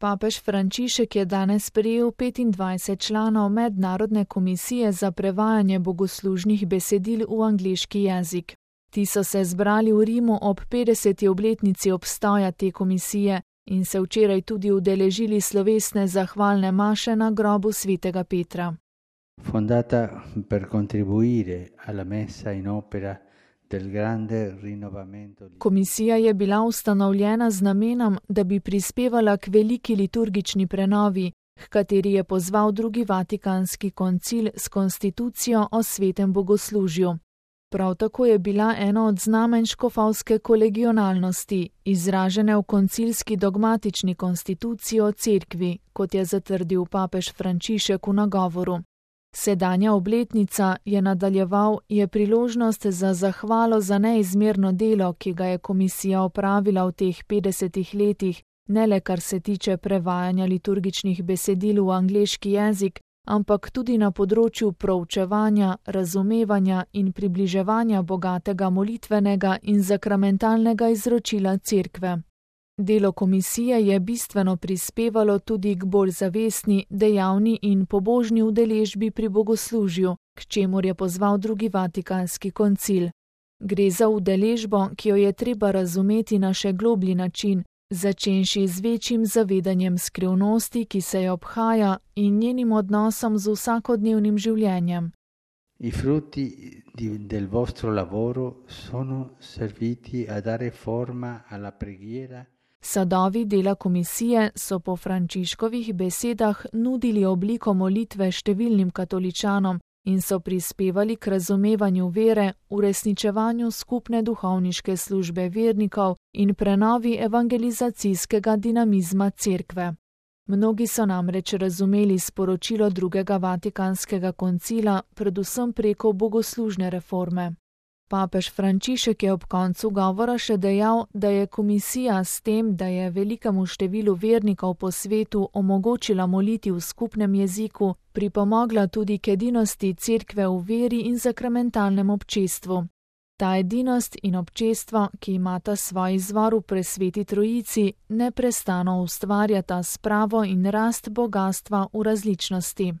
Papež Frančišek je danes sprejel 25 članov Mednarodne komisije za prevajanje bogoslužnih besedil v angleški jezik. Ti so se zbrali v Rimu ob 50. obletnici obstoja te komisije in se včeraj tudi udeležili slovesne zahvalne maše na grobu svetega Petra. Fondata per contribuire alla messa in opera del grande rinnovamento. Komisija je bila ustanovljena z namenom, da bi prispevala k veliki liturgični prenovi, h kateri je pozval drugi Vatikanski koncil s konstitucijo o svetem bogoslužju. Prav tako je bila eno od znamenj škofovske kolegionalnosti, izražene v koncilski dogmatični konstituciji o cerkvi, kot je zatrdil papež Frančišek v nagovoru. Sedanja obletnica, je nadaljeval, je priložnost za zahvalo za neizmerno delo, ki ga je komisija opravila v teh 50 letih, ne le kar se tiče prevajanja liturgičnih besedil v angleški jezik, ampak tudi na področju proučevanja, razumevanja in približevanja bogatega molitvenega in zakramentalnega izročila cerkve. Delo komisije je bistveno prispevalo tudi k bolj zavestni, dejavni in pobožni udeležbi pri bogoslužju, k čemur je pozval drugi Vatikanski koncil. Gre za udeležbo, ki jo je treba razumeti na še globlji način, začenši z večjim zavedanjem skrivnosti, ki se jo obhaja, in njenim odnosom z vsakodnevnim življenjem. I frutti del vostro lavoro sono serviti a dare forma alla preghiera. Sadovi dela komisije so po Frančiškovih besedah nudili obliko molitve številnim katoličanom in so prispevali k razumevanju vere, uresničevanju skupne duhovniške službe vernikov in prenovi evangelizacijskega dinamizma cerkve. Mnogi so namreč razumeli sporočilo drugega Vatikanskega koncila, predvsem preko bogoslužne reforme. Papež Frančišek je ob koncu govora še dejal, da je komisija s tem, da je velikemu številu vernikov po svetu omogočila moliti v skupnem jeziku, pripomogla tudi k edinosti cerkve v veri in zakramentalnem občestvu. Ta edinost in občestvo, ki imata svoj izvor v presveti trojici, neprestano ustvarjata spravo in rast bogastva v različnosti.